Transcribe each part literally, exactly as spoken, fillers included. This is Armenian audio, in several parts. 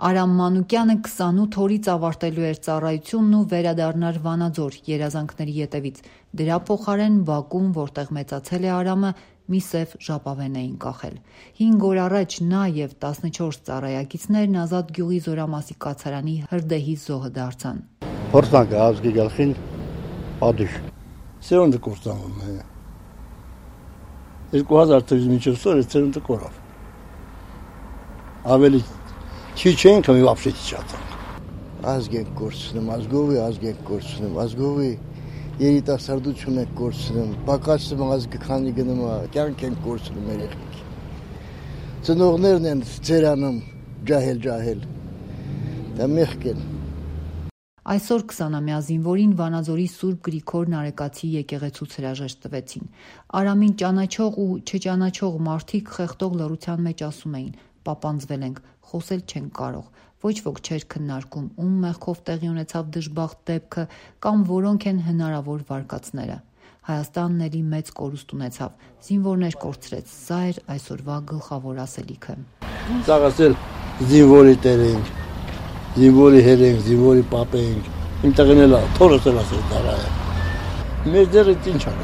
Արամ Մանուկյանը քսանութ օրից ավարտելու էր ծառայությունն ու վերադառնար Վանաձոր երազանքների ետևից։ Դրա փոխարեն Բաքում, որտեղ մեծացել է Արամը, մի սև ժապավեն էին կախել։ Հինգ օր առաջ նա եւ տասնչորս ծառայակիցներն Ազատ գյուղի Զորամասի կացարանի հրդեհի զոհը դարձան։ Փորձանք ազգի գլխին ադիշ։ Սերունդը կործանում է։ երկու հազար թվականից մինչև սորը սերունդը կորավ։ Ավելի քիչ ենք, մի вообще չիջացան։ Ազգ ենք կորցնում, ազգովի ազգ ենք կորցնում, ազգովի երիտասարդություն ենք կորցնում, պակասում ազգը քանի գնում է, կյանք ենք կորցնում երեխեք։ Ծնողներն են ծերանում, ջահել-ջահել։ Դա մեղք են։ Այսօր քսանամյա զինվորին Վանաձորի Սուրբ Գրիգոր Նարեկացի եկեղեցուց հրաժեշտ տվեցին։ Արամին ճանաչող ու չճանաչող մարդիկ խեղդող լռության մեջ ասում էին. «Պապանձվել ենք, խոսել չենք կարող»։ Ոչ ոք չէր քննարկում, ում մեղքով տեղի ունեցավ դժբախտ դեպքը կամ որոնք են հնարավոր վարկածները։ Հայաստանն էլի մեծ կորուստ ունեցավ, զինվորներ կորցրեց, սա էր այսօրվա գլխավոր ասելիքը։ Ծաղացել զինվորի տեր ենք, զինվորի հեր ենք, զինվորի պապ ենք, իմ տեղն էլ թորս էլ ասել դարա է։ Մեր դերը ինչ ա։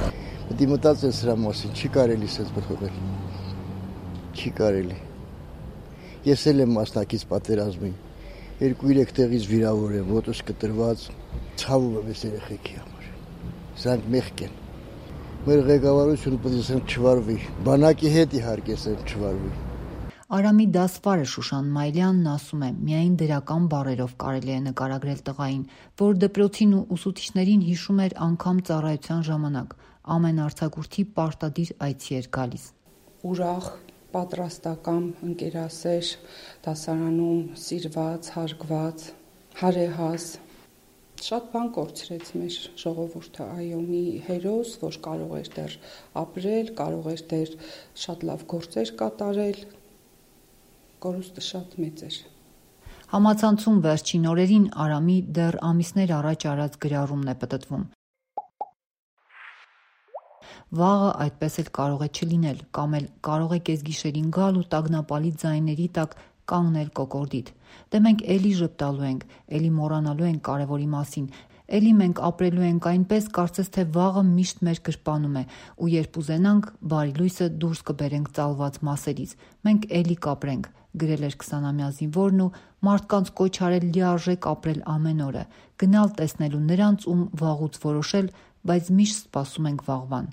Պետք է մտածել սրա մասին, չի կարելի սենց բխվել։ Չի կարելի։ Ես էլ եմ մասնակից պատերազմին, երկու-երեք տեղից վիրավոր եմ, ոտս կտրված, ցավում եմ այս երեխեքի համար։ Սրանք մեղք են։ Մեր ղեկավարությունը պետք է սրանք չվարվի, բանակի հետ իհարկե սրանք չվարվի։ Արամի դասվարը Շուշան Մայլյանն ասում է, միայն դրական բառերով կարելի է նկարագրել տղային, որ դպրոցին ու ուսուցիչներին հիշում էր անգամ ծառայության ժամանակ, ամեն արձակուրդի պարտադիր այցի էր գալիս։ Ուրախ, պատրաստական, ընկերասեր, դասարանում սիրված, հարգված, հարեհաս, շատ բան կորցրեց մեր ժողովուրդը, այո, մի հերոս, որ կարող էր դեռ ապրել, կարող էր դեռ շատ լավ գործեր կատարել, կորուստը շատ մեծ էր։ Համացանցում վերջին օրերին Արամի դեռ ամիսներ առաջ արած գրառումն է պտտվում։ Վաղը այդպես էլ կարող է չլինել, կամ էլ կարող է կեսգիշերին գալ ու տագնապալի ձայների տակ կանգնել կոկորդիդ։ Դե մենք էլի ժպտալու ենք, էլի մոռանալու ենք կարևորի մասին, էլի մենք ապրելու ենք այնպես, կարծես թե վաղը միշտ մեր գրպանում է, ու երբ ուզենանք, բարի լույսը դուրս կբերենք ծալված մասերից, մենք էլի կապրենք, գրել էր քսանամյա զինվորն ու մարդկանց կոչ արել լիարժեք ապրել ամեն օրը, գնալ տեսնելու նրանց, ում վաղուց որոշել, բայց միշտ սպասում ենք վաղվան։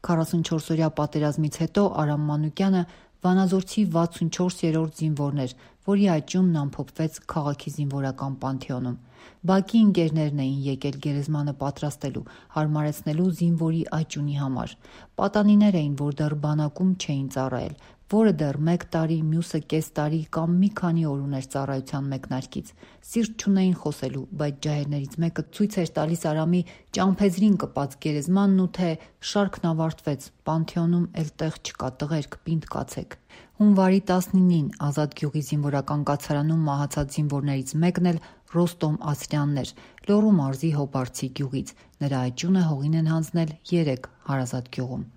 քառասունչորսօրյա պատերազմից հետո Արամ Մանուկյանը վանաձորցի վաթսունչորսերորդ զինվորն էր, որի աճյունն ամփոփվեց քաղաքի զինվորական պանթեոնում։ Բակի ընկերներն էին եկել գերեզմանը պատրաստելու, հարմարեցնելու զինվորի աճյունի համար։ Պատանիներ էին, որ դեռ բանակում չէին ծառայել, որը դեռ մեկ տարի, մյուսը կես տարի կամ մի քանի օր ուներ ծառայության մեկնարկից։ Սիրտ չունեին խոսելու, բայց ջահելներից մեկը ցույց էր տալիս Արամի ճամփեզրին կպած գերեզմանն ու թե շարքն ավարտվեց, պանթեոնում էլ տեղ չկա, տղերք, պինդ կացեք։ Հունվարի տասնինին Ազատ գյուղի զինվորական կացարանում մահացած զինվորներից մեկն էլ Ռոստոմ Ասրյանն էր, Լոռու մարզի Հոբարցի գյուղից։ Նրա աճյունը հողին են հանձնել երեք հարազատ գյուղում։